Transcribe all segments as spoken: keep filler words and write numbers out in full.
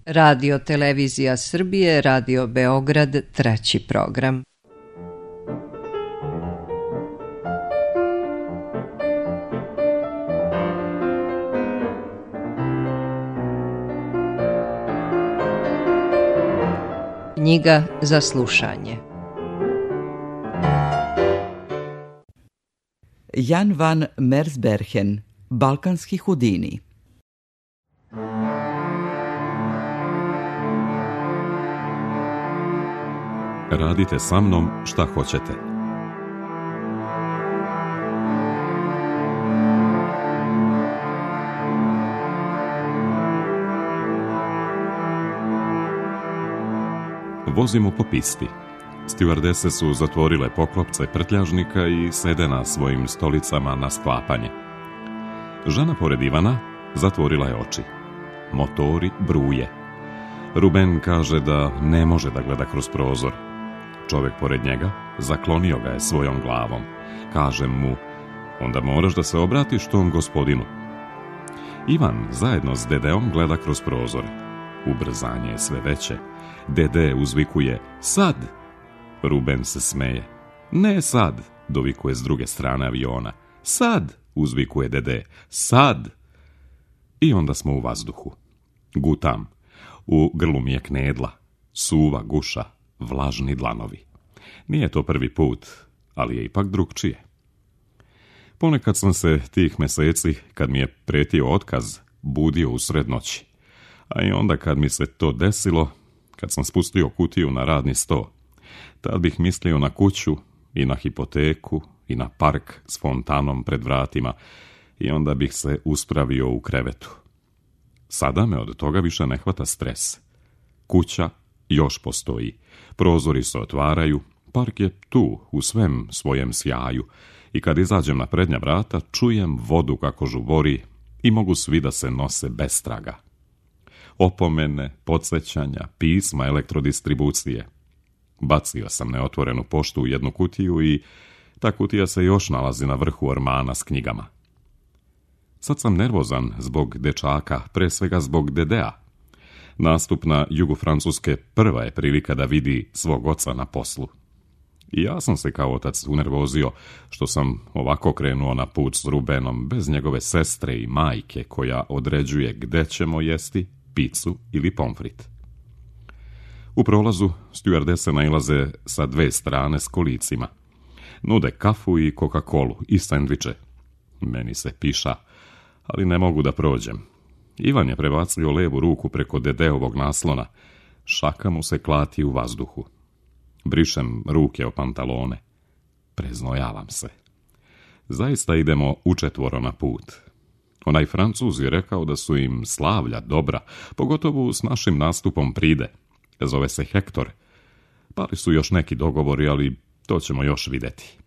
Radio Televizija Srbije, Radio Beograd, treći program. Knjiga za slušanje. Jan van Mersbergen, Balkanski Hudini. Radite sa mnom šta hoćete. Vozimo po pisti. Stjuardese su zatvorile poklopce prtljažnika i sede na svojim stolicama na sklapanje. Žena pored Ivana zatvorila je oči. Motori bruje. Ruben kaže da ne može da gleda kroz prozor. Čovjek pored njega zaklonio ga je svojom glavom. Kaže mu, onda moraš da se obratiš tom gospodinu. Ivan zajedno s dedeom gleda kroz prozor. Ubrzanje je sve veće. Dede uzvikuje, sad! Ruben se smeje. Ne sad, dovikuje s druge strane aviona. Sad, uzvikuje dede, sad! I onda smo u vazduhu. Gutam. U grlu mi je knedla. Suva guša. Vlažni dlanovi. Nije to prvi put, ali je ipak drugčije. Ponekad sam se tih meseci, kad mi je pretio otkaz, budio usred noći. A i onda kad mi se to desilo, kad sam spustio kutiju na radni sto, tad bih mislio na kuću i na hipoteku i na park s fontanom pred vratima i onda bih se uspravio u krevetu. Sada me od toga više ne hvata stres. Kuća još postoji. Prozori se otvaraju, park je tu u svem svojem sjaju i kad izađem na prednja vrata čujem vodu kako žubori i mogu svi da se nose bez traga. Opomene, podsjećanja, pisma elektrodistribucije. Bacio sam neotvorenu poštu u jednu kutiju i ta kutija se još nalazi na vrhu ormana s knjigama. Sad sam nervozan zbog dečaka, pre svega zbog dedea. Nastup na jugu Francuske prva je prilika da vidi svog oca na poslu. I ja sam se kao otac unervozio što sam ovako krenuo na put s Rubenom bez njegove sestre i majke koja određuje gde ćemo jesti picu ili pomfrit. U prolazu stjuardese nailaze sa dve strane s kolicima. Nude kafu i Coca-Colu i sendviče. Meni se piša, ali ne mogu da prođem. Ivan je prebacio levu ruku preko dedeovog naslona. Šaka mu se klati u vazduhu. Brišem ruke o pantalone. Preznojavam se. Zaista idemo učetvoro na put. Onaj Francuz je rekao da su im slavlja dobra, pogotovo s našim nastupom pride. Zove se Hektor. Pali su još neki dogovori, ali to ćemo još vidjeti.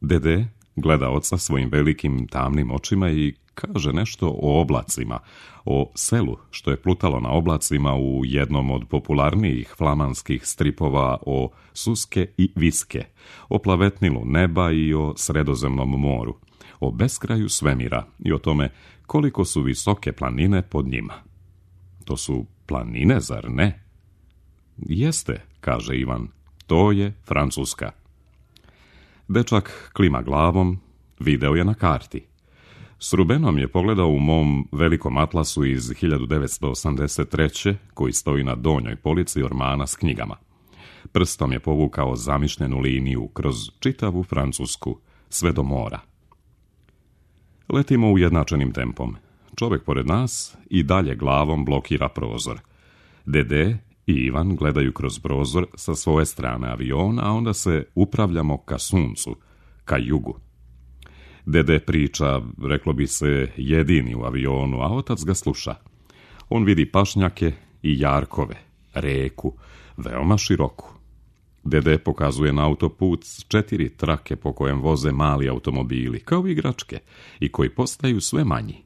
Dede gleda oca svojim velikim tamnim očima i kaže nešto o oblacima, o selu što je plutalo na oblacima u jednom od popularnijih flamanskih stripova o Suske i Viske, o plavetnilu neba i o Sredozemnom moru, o beskraju svemira i o tome koliko su visoke planine pod njima. To su planine, zar ne? Jeste, kaže Ivan, to je Francuska. Dečak klima glavom, video je na karti. S Rubenom je pogledao u mom velikom atlasu iz hiljadu devetsto osamdeset treće koji stoji na donjoj polici ormana s knjigama. Prstom je povukao zamišljenu liniju kroz čitavu Francusku, sve do mora. Letimo ujednačenim tempom. Čovjek pored nas i dalje glavom blokira prozor. Dede i Ivan gledaju kroz prozor sa svoje strane aviona, a onda se upravljamo ka suncu, ka jugu. Dede priča, reklo bi se, jedini u avionu, a otac ga sluša. On vidi pašnjake i jarkove, reku, veoma široku. Dede pokazuje na autoput četiri trake po kojem voze mali automobili, kao igračke, i koji postaju sve manji.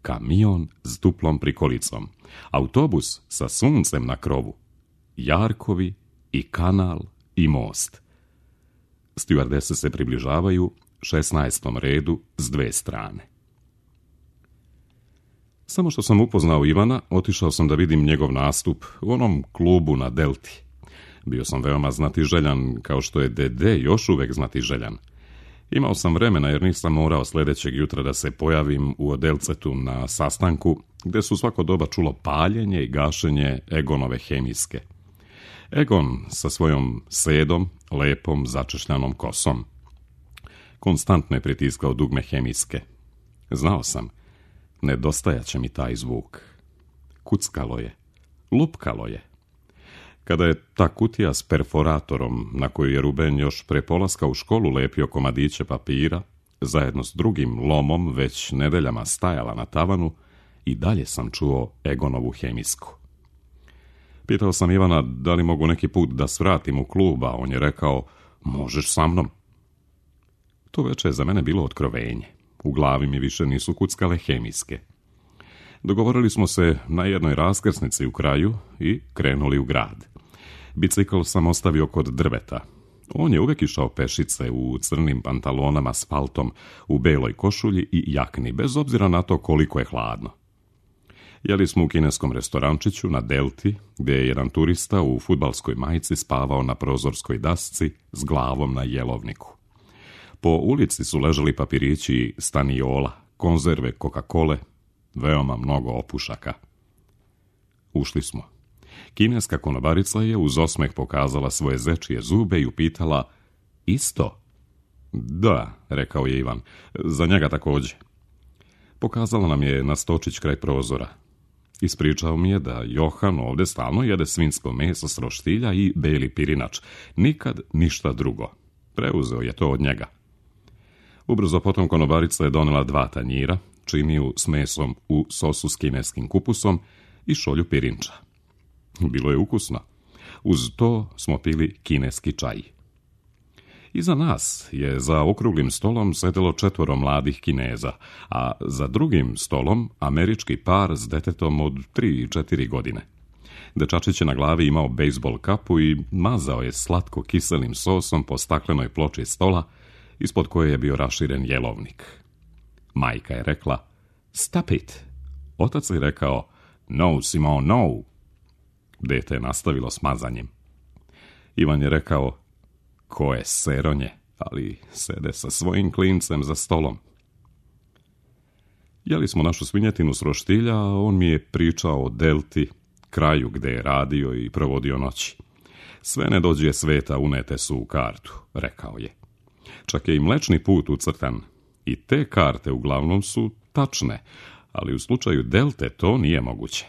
Kamion s duplom prikolicom, autobus sa suncem na krovu, jarkovi i kanal i most. Stjuardese se približavaju šesnaestom redu s dve strane. Samo što sam upoznao Ivana, otišao sam da vidim njegov nastup u onom klubu na Delti. Bio sam veoma znatiželjan, kao što je Dede još uvek znatiželjan. Imao sam vremena jer nisam morao sljedećeg jutra da se pojavim u Odelcetu na sastanku, gde su svako doba čulo paljenje i gašenje Egonove hemijske. Egon sa svojom sedom, lepom, začešljanom kosom. Konstantno je pritiskao dugme hemijske. Znao sam, nedostajaće mi taj zvuk. Kuckalo je, lupkalo je. Kada je ta kutija s perforatorom, na koju je Ruben još pre polaska u školu lepio komadiće papira, zajedno s drugim lomom već nedeljama stajala na tavanu, i dalje sam čuo Egonovu hemijsku. Pitao sam Ivana da li mogu neki put da svratim u klub, a on je rekao, možeš sa mnom. To veče je za mene bilo otkrovenje. U glavi mi više nisu kuckale hemijske. Dogovorili smo se na jednoj raskrsnici u kraju i krenuli u grad. Bicikl sam ostavio kod drveta. On je uvek išao pešice u crnim pantalonama s paltom, u beloj košulji i jakni, bez obzira na to koliko je hladno. Jeli smo u kineskom restorančiću na Delti, gdje je jedan turista u fudbalskoj majici spavao na prozorskoj dasci s glavom na jelovniku. Po ulici su ležali papirići staniola, konzerve, Coca-Cole, veoma mnogo opušaka. Ušli smo. Kineska konobarica je uz osmeh pokazala svoje zečije zube i upitala, isto? Da, rekao je Ivan, za njega također. Pokazala nam je na stočić kraj prozora. Ispričao mi je da Johan ovdje stalno jede svinjsko meso s roštilja i beli pirinač. Nikad ništa drugo. Preuzeo je to od njega. Ubrzo potom konobarica je donela dva tanjira, činiju s mesom u sosu s kineskim kupusom i šolju pirinča. Bilo je ukusno. Uz to smo pili kineski čaj. Iza nas je za okruglim stolom sedelo četvoro mladih Kineza, a za drugim stolom američki par s detetom od tri i četiri godine. Dečačić je na glavi imao bejsbol kapu i mazao je slatko kiselim sosom po staklenoj ploči stola, ispod koje je bio raširen jelovnik. Majka je rekla, stop it. Otac je rekao, no, Simon, no. Dete je nastavilo s mazanjem. Ivan je rekao, ko je seronje, ali sede sa svojim klincem za stolom. Jeli smo našu svinjetinu s roštilja, a on mi je pričao o Delti, kraju gde je radio i provodio noći. Sve nedođe sveta unete su u kartu, rekao je. Čak je i mlečni put ucrtan. I te karte uglavnom su tačne, ali u slučaju Delte to nije moguće.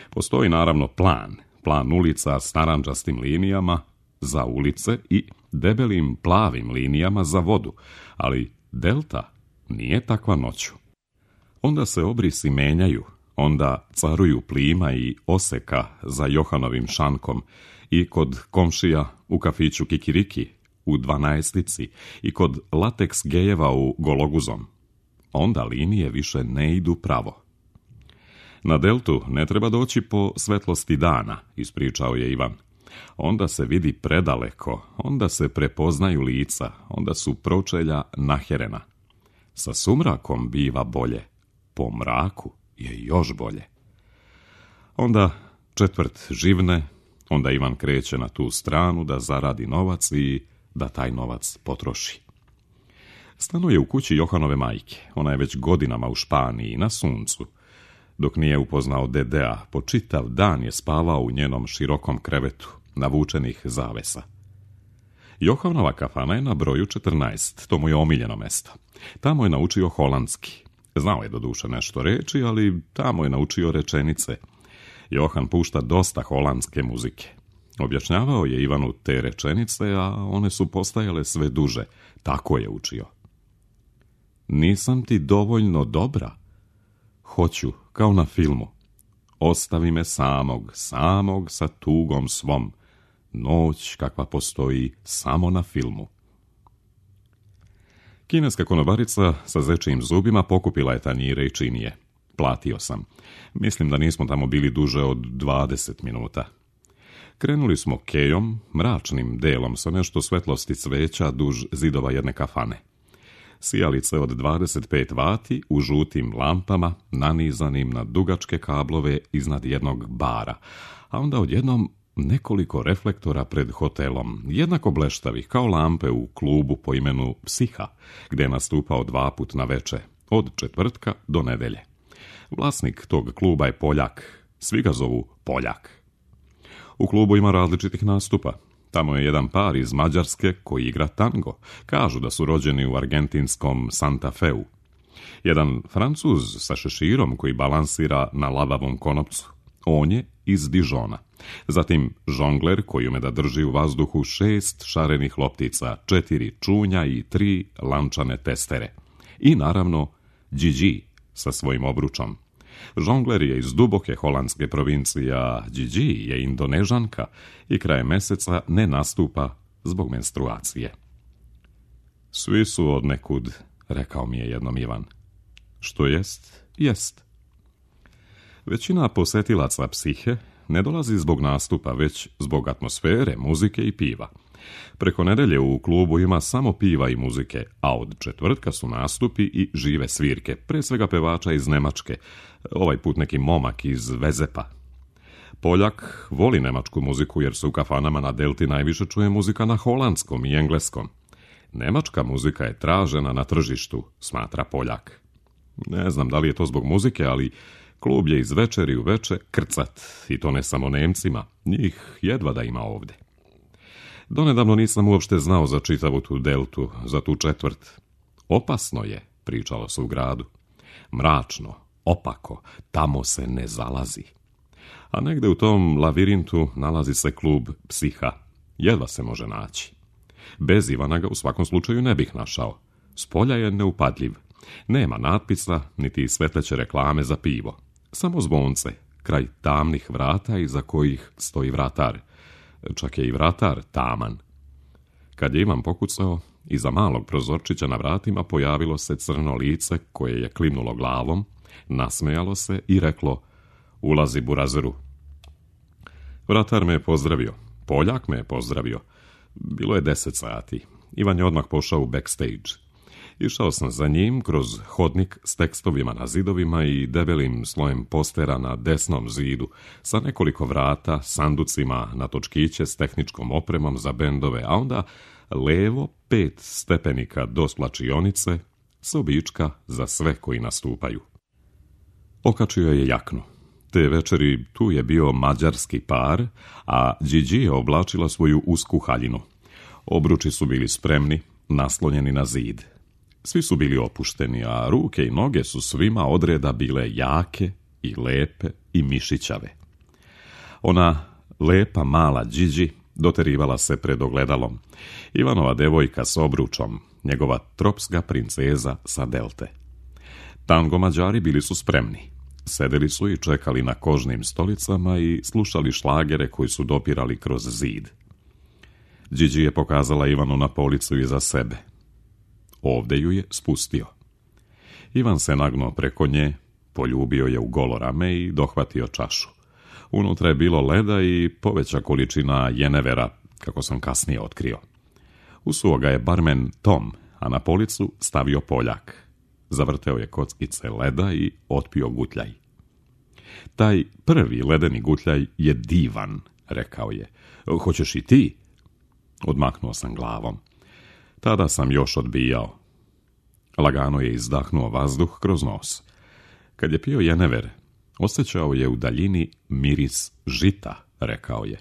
Postoji naravno plan, plan ulica s narandžastim linijama za ulice i debelim plavim linijama za vodu, ali Delta nije takva noću. Onda se obrisi menjaju, onda caruju plima i oseka za Johanovim šankom i kod komšija u kafiću Kikiriki u dvanaestici i kod lateks gejeva u Gologuzom. Onda linije više ne idu pravo. Na Deltu ne treba doći po svetlosti dana, ispričao je Ivan. Onda se vidi predaleko, onda se prepoznaju lica, onda su pročelja naherena. Sa sumrakom biva bolje, po mraku je još bolje. Onda četvrt živne, onda Ivan kreće na tu stranu da zaradi novac i da taj novac potroši. Stanuje u kući Johanove majke, ona je već godinama u Španiji na suncu. Dok nije upoznao Dedea, po čitav dan je spavao u njenom širokom krevetu, navučenih zavesa. Johanova kafana je na broju četrnaest, to mu je omiljeno mesto. Tamo je naučio holandski. Znao je doduše nešto reći, ali tamo je naučio rečenice. Johan pušta dosta holandske muzike. Objašnjavao je Ivanu te rečenice, a one su postajale sve duže. Tako je učio. Nisam ti dovoljno dobra. Hoću, kao na filmu. Ostavi me samog, samog sa tugom svom. Noć kakva postoji samo na filmu. Kineska konobarica sa zečijim zubima pokupila je tanjire i činije. Platio sam. Mislim da nismo tamo bili duže od dvadeset minuta. Krenuli smo kejom, mračnim delom sa nešto svetlosti cveća duž zidova jedne kafane. Sijalice od dvadeset pet vati u žutim lampama nanizanim na dugačke kablove iznad jednog bara, a onda odjednom nekoliko reflektora pred hotelom, jednako bleštavih kao lampe u klubu po imenu Psiha, gdje je nastupao dva put na veče, od četvrtka do nedelje. Vlasnik tog kluba je Poljak, svi ga zovu Poljak. U klubu ima različitih nastupa. Tamo je jedan par iz Mađarske koji igra tango. Kažu da su rođeni u argentinskom Santa Feu. Jedan Francuz sa šeširom koji balansira na lavavom konopcu. On je iz Dižona. Zatim žongler koji ume da drži u vazduhu šest šarenih loptica, četiri čunja i tri lančane testere. I naravno Gigi sa svojim obručom. Žongler je iz duboke holandske provincije, a Gigi je Indonežanka i krajem meseca ne nastupa zbog menstruacije. Svi su od nekud, rekao mi je jednom Ivan. Što jest, jest. Većina posetilaca Psihe ne dolazi zbog nastupa, već zbog atmosfere, muzike i piva. Preko nedelje u klubu ima samo piva i muzike, a od četvrtka su nastupi i žive svirke, pre svega pevača iz Nemačke, ovaj put neki momak iz Vezepa. Poljak voli nemačku muziku jer se u kafanama na Delti najviše čuje muzika na holandskom i engleskom. Nemačka muzika je tražena na tržištu, smatra Poljak. Ne znam da li je to zbog muzike, ali klub je iz večeri u veče krcat, i to ne samo Nemcima, njih jedva da ima ovde. Donedavno nisam uopšte znao za čitavu tu Deltu, za tu četvrt. Opasno je, pričalo se u gradu. Mračno, opako, tamo se ne zalazi. A negde u tom lavirintu nalazi se klub Psiha. Jedva se može naći. Bez Ivana ga u svakom slučaju ne bih našao. Spolja je neupadljiv. Nema natpisa, niti svetleće reklame za pivo. Samo zvonce, kraj tamnih vrata iza kojih stoji vratar. Čak je i vratar taman. Kad je Ivan pokucao, iza malog prozorčića na vratima pojavilo se crno lice koje je klimnulo glavom, nasmejalo se i reklo: "Ulazi, burazeru." Vratar me je pozdravio. Poljak me je pozdravio. Bilo je deset sati. Ivan je odmah pošao u backstage. Išao sam za njim kroz hodnik s tekstovima na zidovima i debelim slojem postera na desnom zidu, sa nekoliko vrata, sanducima na točkiće s tehničkom opremom za bendove, a onda levo pet stepenika do slačionice, sobička za sve koji nastupaju. Okačio je jaknu. Te večeri tu je bio mađarski par, a Gigi je oblačila svoju usku haljinu. Obruči su bili spremni, naslonjeni na zid. Svi su bili opušteni, a ruke i noge su svima odreda bile jake i lepe i mišićave. Ona lepa mala Gigi doterivala se pred ogledalom. Ivanova devojka s obručom, njegova tropska princeza sa Delte. Tango Mađari bili su spremni. Sedeli su i čekali na kožnim stolicama i slušali šlagere koji su dopirali kroz zid. Gigi je pokazala Ivanu na policu iza sebe. Ovde ju je spustio. Ivan se nagnuo preko nje, poljubio je u golo rame i dohvatio čašu. Unutra je bilo leda i poveća količina jenevera, kako sam kasnije otkrio. Usuo ga je barmen Tom, a na policu stavio Poljak. Zavrteo je kockice leda i otpio gutljaj. Taj prvi ledeni gutljaj je divan, rekao je. Hoćeš i ti? Odmaknuo sam glavom. Tada sam još odbijao. Lagano je izdahnuo vazduh kroz nos. Kad je pio jenever, osjećao je u daljini miris žita, rekao je.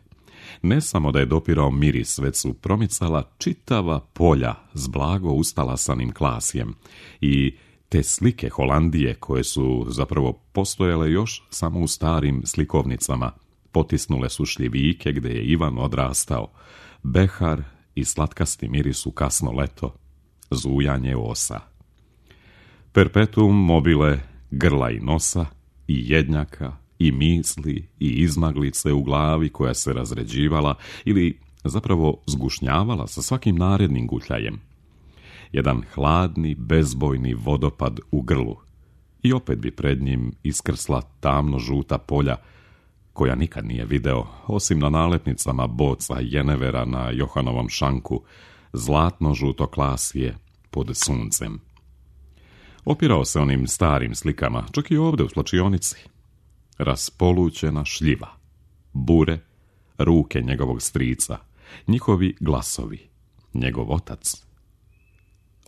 Ne samo da je dopirao miris, već su promicala čitava polja s blago ustalasanim klasjem i te slike Holandije koje su zapravo postojale još samo u starim slikovnicama, potisnule su šljivike gde je Ivan odrastao, behar i slatkasti miris u kasno leto, zujanje osa. Perpetuum mobile grla i nosa, i jednjaka, i misli, i izmaglice u glavi koja se razređivala ili zapravo zgušnjavala sa svakim narednim gutljajem. Jedan hladni, bezbojni vodopad u grlu i opet bi pred njim iskrsla tamno-žuta polja koja nikad nije video, osim na nalepnicama boca jenevera na Johanovom šanku, zlatno-žuto klasije, pod suncem. Opirao se onim starim slikama, čak i ovdje u slačionici. Raspolućena šljiva, bure, ruke njegovog strica, njihovi glasovi, njegov otac.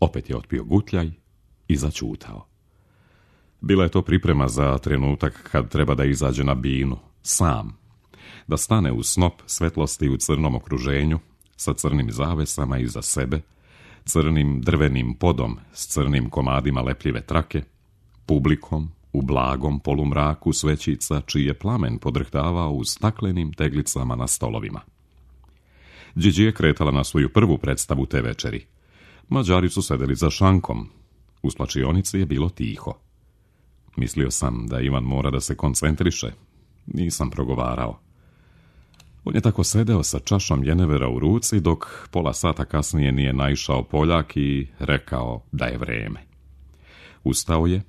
Opet je otpio gutljaj i začutao. Bila je to priprema za trenutak kad treba da izađe na binu, sam, da stane u snop svetlosti u crnom okruženju, sa crnim zavesama iza sebe, crnim drvenim podom s crnim komadima lepljive trake, publikom u blagom polumraku svećica čiji je plamen podrhtavao u staklenim teglicama na stolovima. Điđi je kretala na svoju prvu predstavu te večeri. Mađari su sedeli za šankom. U slačionici je bilo tiho. Mislio sam da Ivan mora da se koncentriše. Nisam progovarao. On je tako sedeo sa čašom jenevera u ruci, dok pola sata kasnije nije naišao Poljak i rekao da je vreme. Ustao je,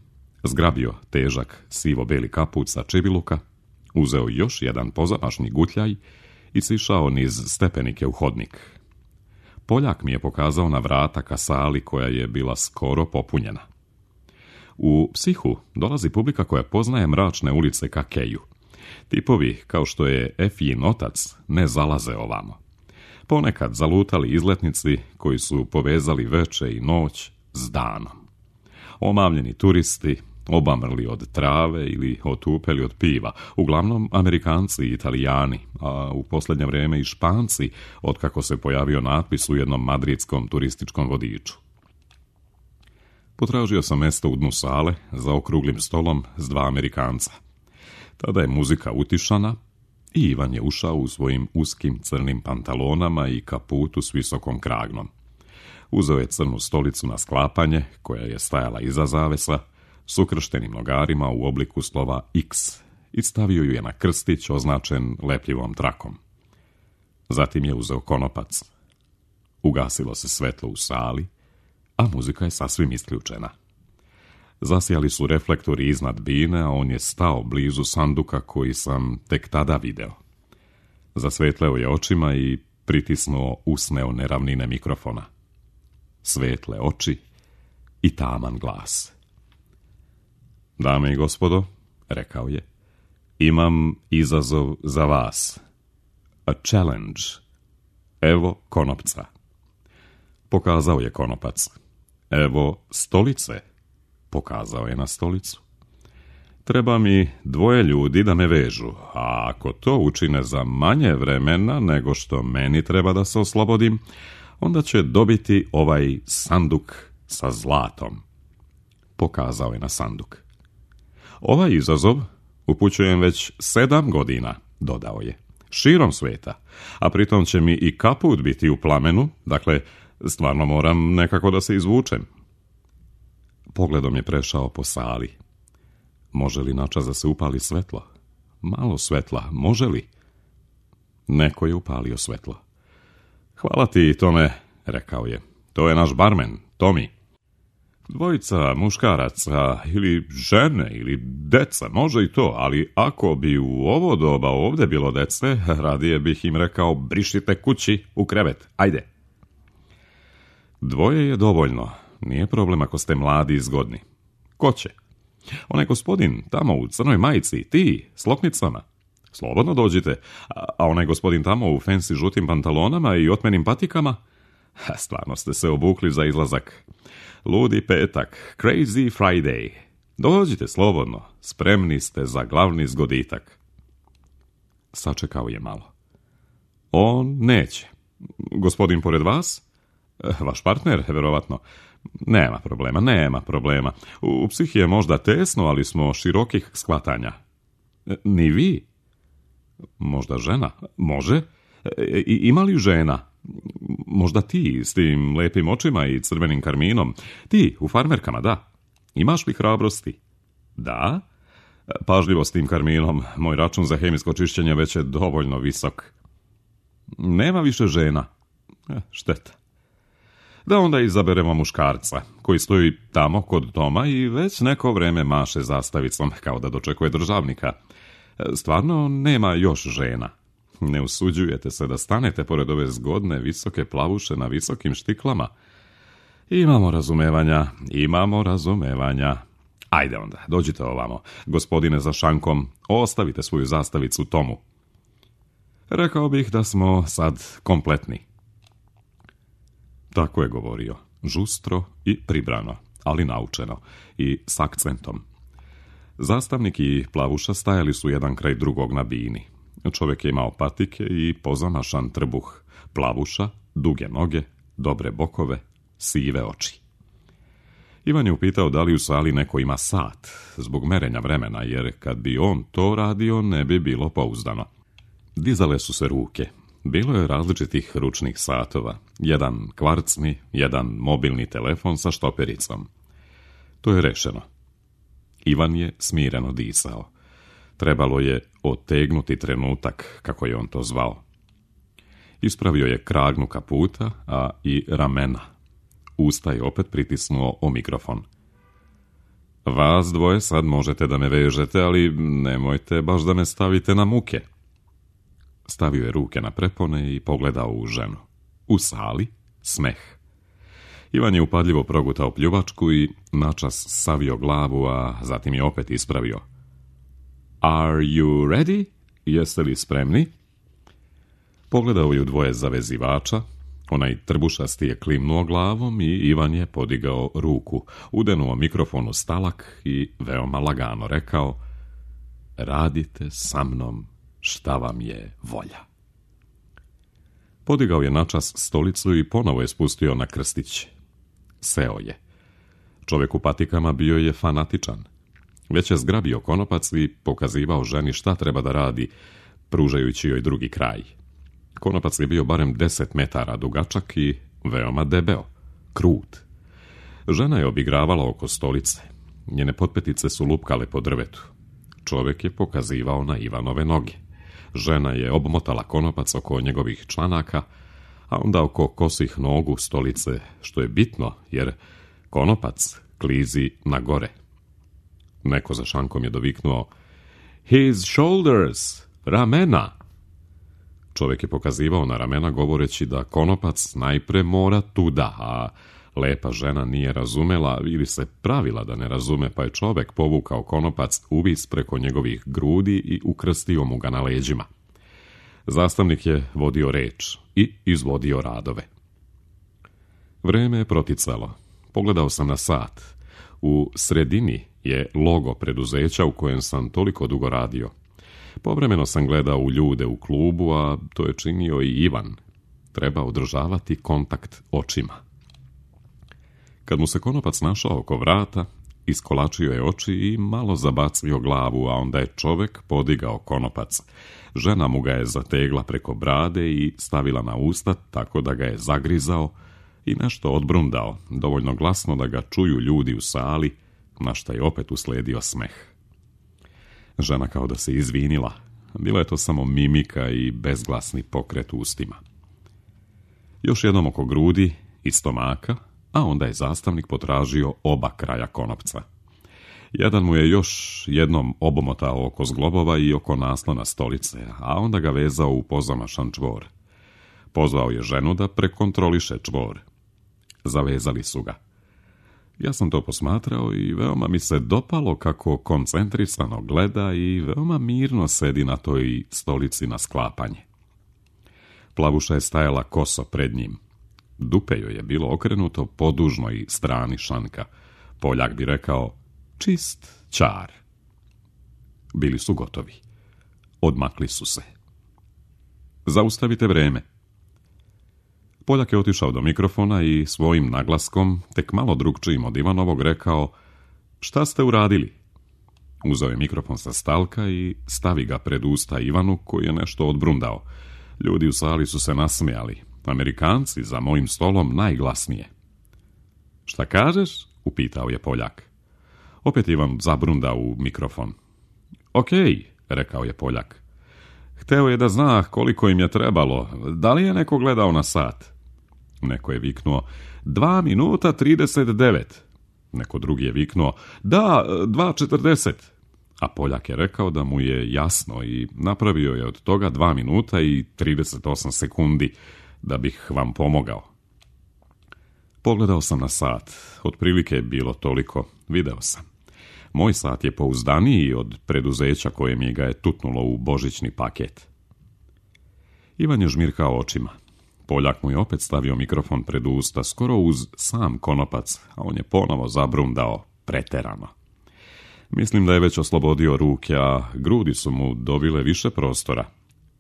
zgrabio težak sivo-beli kaput sa čibiluka, uzeo još jedan pozamašni gutljaj i sišao niz stepenike u hodnik. Poljak mi je pokazao na vrata ka sali koja je bila skoro popunjena. U Psihu dolazi publika koja poznaje mračne ulice ka Keju. Tipovi, kao što je Efijin otac, ne zalaze ovamo. Ponekad zalutali izletnici koji su povezali veče i noć s danom. Omamljeni turisti, obamrli od trave ili otupeli od piva, uglavnom Amerikanci i Italijani, a u posljednje vrijeme i Španci, otkako se pojavio natpis u jednom madridskom turističkom vodiču. Potražio sam mjesto u dnu sale za okruglim stolom s dva Amerikanca. Tada je muzika utišana i Ivan je ušao u svojim uskim crnim pantalonama i kaputu s visokom kragnom. Uzeo je crnu stolicu na sklapanje, koja je stajala iza zavesa, s ukrštenim nogarima u obliku slova X i stavio ju je na krstić označen lepljivom trakom. Zatim je uzeo konopac. Ugasilo se svetlo u sali, a muzika je sasvim isključena. Zasijali su reflektori iznad bine, a on je stao blizu sanduka koji sam tek tada video. Zasvetleo je očima i pritisnuo usne one ravnine mikrofona. Svetle oči i taman glas. Dame i gospodo, rekao je, imam izazov za vas. A challenge. Evo konopca. Pokazao je konopac. Evo stolice. Pokazao je na stolicu. Treba mi dvoje ljudi da me vežu, a ako to učine za manje vremena nego što meni treba da se oslobodim, onda će dobiti ovaj sanduk sa zlatom. Pokazao je na sanduk. Ovaj izazov upućujem već sedam godina, dodao je, širom sveta, a pritom će mi i kaput biti u plamenu, dakle, stvarno moram nekako da se izvučem. Pogledom je prešao po sali. Može li načas da se upali svetlo? Malo svetla, može li? Neko je upalio svetlo. Hvala ti, Tome, rekao je. To je naš barmen, Tomi. Dvojica muškaraca ili žene ili deca, može i to, ali ako bi u ovo doba ovdje bilo dece, radije bih im rekao brišite kući u krevet, ajde. Dvoje je dovoljno, nije problem ako ste mladi i zgodni. Ko će? Onaj gospodin tamo u crnoj majici, ti, s loknicama. Slobodno dođite, a onaj gospodin tamo u fancy žutim pantalonama i otmenim patikama? Stvarno ste se obukli za izlazak. Ludi petak, crazy Friday. Dođite slobodno, spremni ste za glavni zgoditak. Sačekao je malo. On neće. Gospodin pored vas? Vaš partner, verovatno. Nema problema, nema problema. U psihi je možda tesno, ali smo širokih shvatanja. Ni vi? Možda žena? Može? I, ima li žena? Možda ti, s tim lepim očima i crvenim karminom. Ti, u farmerkama, da. Imaš li hrabrosti? Da. Pažljivo s tim karminom. Moj račun za hemijsko čišćenje već je dovoljno visok. Nema više žena. Eh, šteta. Da onda izaberemo muškarca, koji stoji tamo kod Toma i već neko vreme maše zastavicom, kao da dočekuje državnika. Stvarno nema još žena. Ne usuđujete se da stanete pored ove zgodne, visoke plavuše na visokim štiklama. Imamo razumevanja, imamo razumevanja. Ajde onda, dođite ovamo. Gospodine za šankom, ostavite svoju zastavicu tomu. Rekao bih da smo sad kompletni. Tako je govorio, žustro i pribrano, ali naučeno i s akcentom. Zastavnik i Plavuša stajali su jedan kraj drugog na bini. Čovjek je imao patike i pozamašan trbuh. Plavuša, duge noge, dobre bokove, sive oči. Ivan je upitao da li u sali neko ima sat, zbog merenja vremena, jer kad bi on to radio ne bi bilo pouzdano. Dizale su se ruke. Bilo je različitih ručnih satova. Jedan kvarcni, jedan mobilni telefon sa štopericom. To je rešeno. Ivan je smireno disao. Trebalo je otegnuti trenutak, kako je on to zvao. Ispravio je kragnu kaputa, a i ramena. Usta je opet pritisnuo o mikrofon. Vas dvoje sad možete da me vežete, ali nemojte baš da me stavite na muke. Stavio je ruke na prepone i pogledao u ženu. U sali smeh. Ivan je upadljivo progutao pljuvačku i načas savio glavu, a zatim je opet ispravio. Are you ready? Jeste li spremni? Pogledao je u dvoje zavezivača. Onaj trbušasti je klimnuo glavom i Ivan je podigao ruku, udenuo mikrofon u stalak i veoma lagano rekao: radite sa mnom šta vam je volja. Podigao je načas stolicu i ponovo je spustio na krstić. Seo je. Čovjek u patikama bio je fanatičan. Već je zgrabio konopac i pokazivao ženi šta treba da radi, pružajući joj drugi kraj. Konopac je bio barem deset metara dugačak i veoma debeo, krut. Žena je obigravala oko stolice. Njene potpetice su lupkale po drvetu. Čovjek je pokazivao na Ivanove noge. Žena je obmotala konopac oko njegovih članaka, a onda oko kosih nogu stolice, što je bitno, jer konopac klizi na gore. Neko za šankom je doviknuo: his shoulders, ramena. Čovjek je pokazivao na ramena govoreći da konopac najpre mora tuda, a lepa žena nije razumela ili se pravila da ne razume, pa je čovjek povukao konopac uvis preko njegovih grudi i ukrstio mu ga na leđima. Zastavnik je vodio reč i izvodio radove. Vreme je proticalo. Pogledao sam na sat. U sredini je logo preduzeća u kojem sam toliko dugo radio. Povremeno sam gledao u ljude u klubu, a to je činio i Ivan. Treba održavati kontakt očima. Kad mu se konopac našao oko vrata, iskolačio je oči i malo zabacio glavu, a onda je čovjek podigao konopac. Žena mu ga je zategla preko brade i stavila na usta tako da ga je zagrizao i nešto odbrundao, dovoljno glasno da ga čuju ljudi u sali, na šta je opet usledio smeh. Žena kao da se izvinila. Bila je to samo mimika i bezglasni pokret ustima. Još jednom oko grudi i stomaka, a onda je zastavnik potražio oba kraja konopca. Jedan mu je još jednom obomotao oko zglobova i oko naslona stolice, a onda ga vezao u pozamašan čvor. Pozvao je ženu da prekontroliše čvor. Zavezali su ga. Ja sam to posmatrao i veoma mi se dopalo kako koncentrisano gleda i veoma mirno sedi na toj stolici na sklapanje. Plavuša je stajala koso pred njim. Dupe joj je bilo okrenuto po dužnoj strani šanka. Poljak bi rekao: čist čar. Bili su gotovi. Odmakli su se. Zaustavite vreme. Poljak je otišao do mikrofona i svojim naglaskom, tek malo drugčijim od Ivanovog, rekao: šta ste uradili? Uzeo je mikrofon sa stalka i stavi ga pred usta Ivanu, koji je nešto odbrundao. Ljudi u sali su se nasmijali. Amerikanci za mojim stolom najglasnije. Šta kažeš? Upitao je Poljak. Opet Ivan zabrundao u mikrofon. Okej, rekao je Poljak. Hteo je da zna koliko im je trebalo. Da li je neko gledao na sat? Neko je viknuo: dva minuta trideset devet. Neko drugi je viknuo: da, dva četrdeset. A Poljak je rekao da mu je jasno i napravio je od toga dva minuta i trideset osam sekundi, da bih vam pomogao. Pogledao sam na sat, otprilike je bilo toliko, video sam. Moj sat je pouzdaniji od preduzeća koje mi ga je tutnulo u božićni paket. Ivan je žmirkao očima. Poljak mu je opet stavio mikrofon pred usta, skoro uz sam konopac, a on je ponovo zabrundao preterano. Mislim da je već oslobodio ruke, a grudi su mu dobile više prostora.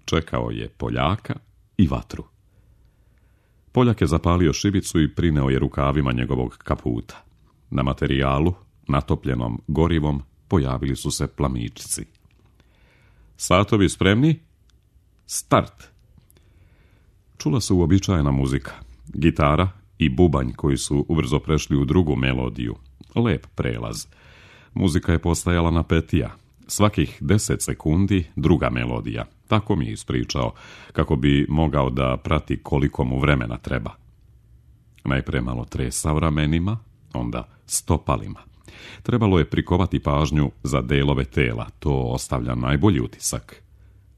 Čekao je Poljaka i vatru. Poljak je zapalio šibicu i prineo je rukavima njegovog kaputa. Na materijalu, natopljenom gorivom, pojavili su se plamičci. Satovi spremni? Start! Čula se uobičajena muzika, gitara i bubanj koji su ubrzo prešli u drugu melodiju. Lep prelaz. Muzika je postajala napetija. Svakih deset sekundi druga melodija. Tako mi je ispričao, kako bi mogao da prati koliko mu vremena treba. Najprije malo tresao ramenima, onda stopalima. Trebalo je prikovati pažnju za delove tela, to ostavlja najbolji utisak.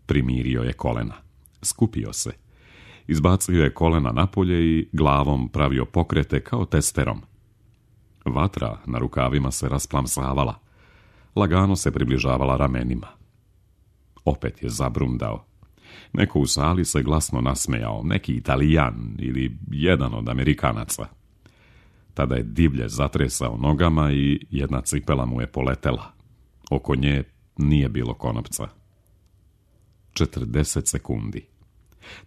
Primirio je kolena. Skupio se. Izbacio je kolena napolje i glavom pravio pokrete kao testerom. Vatra na rukavima se rasplamsavala. Lagano se približavala ramenima. Opet je zabrundao. Neko u sali se glasno nasmejao, neki Italijan ili jedan od Amerikanaca. Tada je divlje zatresao nogama i jedna cipela mu je poletela. Oko nje nije bilo konopca. četrdeset sekundi.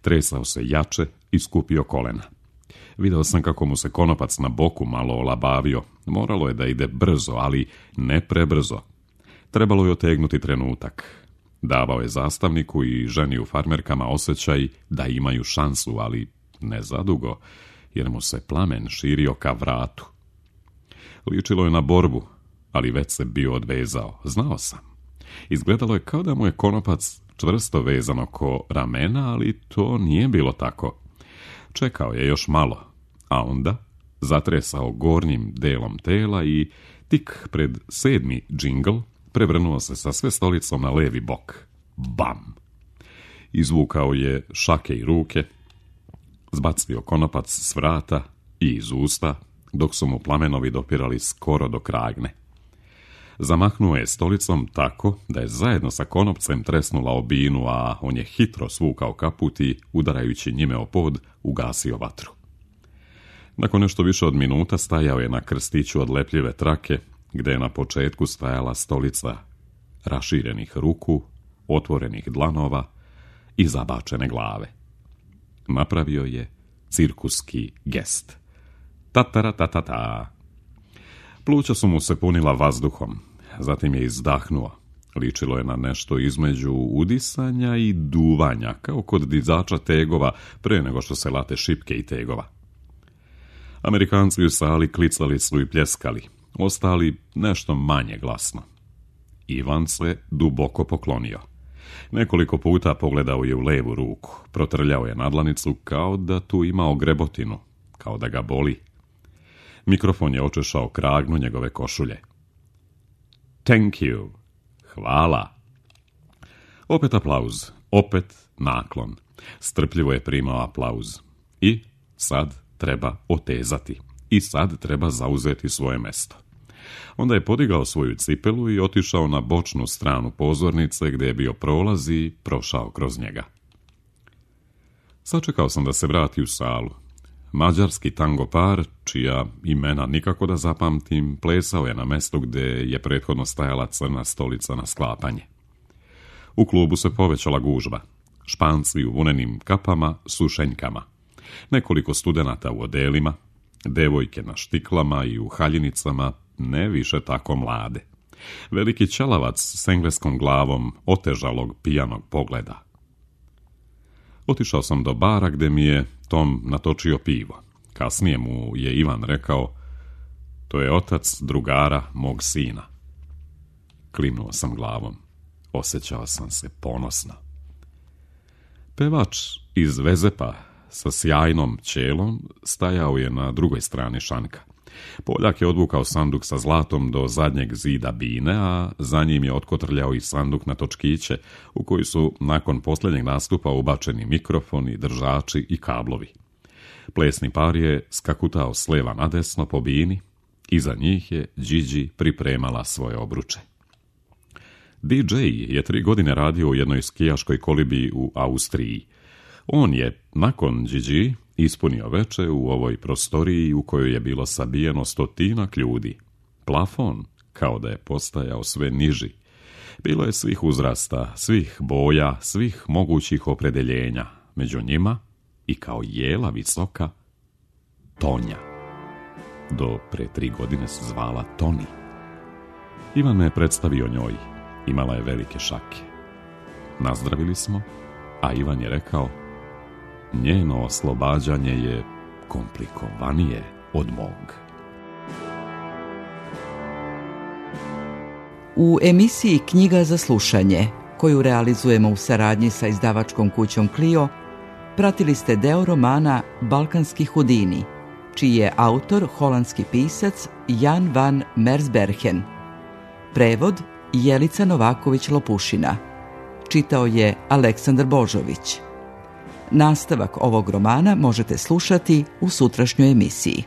Tresao se jače i skupio kolena. Video sam kako mu se konopac na boku malo olabavio. Moralo je da ide brzo, ali ne prebrzo. Trebalo je otegnuti trenutak. Davao je zastavniku i ženi u farmerkama osjećaj da imaju šansu, ali ne zadugo, jer mu se plamen širio ka vratu. Ličilo je na borbu, ali već se bio odvezao. Znao sam. Izgledalo je kao da mu je konopac čvrsto vezan oko ramena, ali to nije bilo tako. Čekao je još malo, a onda zatresao gornjim delom tela i tik pred sedmi džingl prevrnuo se sa sve stolicom na levi bok. Bam! Izvukao je šake i ruke, zbacio konopac s vrata i iz usta, dok su mu plamenovi dopirali skoro do kragne. Zamahnuo je stolicom tako da je zajedno sa konopcem tresnula obinu, a on je hitro svukao kaput i, udarajući njime o pod, ugasio vatru. Nakon nešto više od minuta stajao je na krstiću od lepljive trake, gde je na početku stajala stolica raširenih ruku, otvorenih dlanova i zabačene glave. Napravio je cirkuski gest. Tatara tatata. Pluća su mu se punila vazduhom, zatim je izdahnuo. Ličilo je na nešto između udisanja i duvanja, kao kod dizača tegova pre nego što se late šipke i tegova. Amerikanci u sali klicali su i pljeskali, ostali nešto manje glasno. Ivan se duboko poklonio. Nekoliko puta pogledao je u levu ruku, protrljao je nadlanicu kao da tu ima ogrebotinu, kao da ga boli. Mikrofon je očešao kragnu njegove košulje. Thank you. Hvala. Opet aplauz, opet naklon. Strpljivo je primao aplauz. I sad treba otezati. I sad treba zauzeti svoje mesto. Onda je podigao svoju cipelu i otišao na bočnu stranu pozornice gdje je bio prolaz i prošao kroz njega. Sačekao sam da se vrati u salu. Mađarski tango par, čija imena nikako da zapamtim, plesao je na mestu gdje je prethodno stajala crna stolica na sklapanje. U klubu se povećala gužba. Španci u vunenim kapama, sušenjkama. Nekoliko studenata u odelima, devojke na štiklama i u haljinicama, ne više tako mlade. Veliki ćelavac s engleskom glavom otežalog pijanog pogleda. Otišao sam do bara gdje mi je Tom natočio pivo. Kasnije mu je Ivan rekao, to je otac drugara mog sina. Klimnuo sam glavom. Osjećao sam se ponosno. Pevač iz Vezepa sa sjajnom ćelom stajao je na drugoj strani šanka. Poljak je odvukao sanduk sa zlatom do zadnjeg zida bine, a za njim je otkotrljao i sanduk na točkiće, u koji su nakon posljednjeg nastupa ubačeni mikrofoni, držači i kablovi. Plesni par je skakutao s leva na desno po bini, iza njih je Điđi pripremala svoje obruče. D J je tri godine radio u jednoj skijaškoj kolibi u Austriji. On je, nakon Điđi, ispunio veče u ovoj prostoriji u kojoj je bilo sabijeno stotinak ljudi. Plafon, kao da je postajao sve niži. Bilo je svih uzrasta, svih boja, svih mogućih opredeljenja. Među njima, i kao jela visoka, Tonja. Do pre tri godine se zvala Toni. Ivan me predstavio njoj. Imala je velike šake. Nazdravili smo, a Ivan je rekao: njeno oslobađanje je komplikovanije od mog. U emisiji Knjiga za slušanje, koju realizujemo u saradnji sa izdavačkom kućom Clio, pratili ste deo romana Balkanski Hudini, čiji je autor holandski pisac Jan van Mersbergen. Prevod Jelica Novaković-Lopušina. Čitao je Aleksandar Božović. Nastavak ovog romana možete slušati u sutrašnjoj emisiji.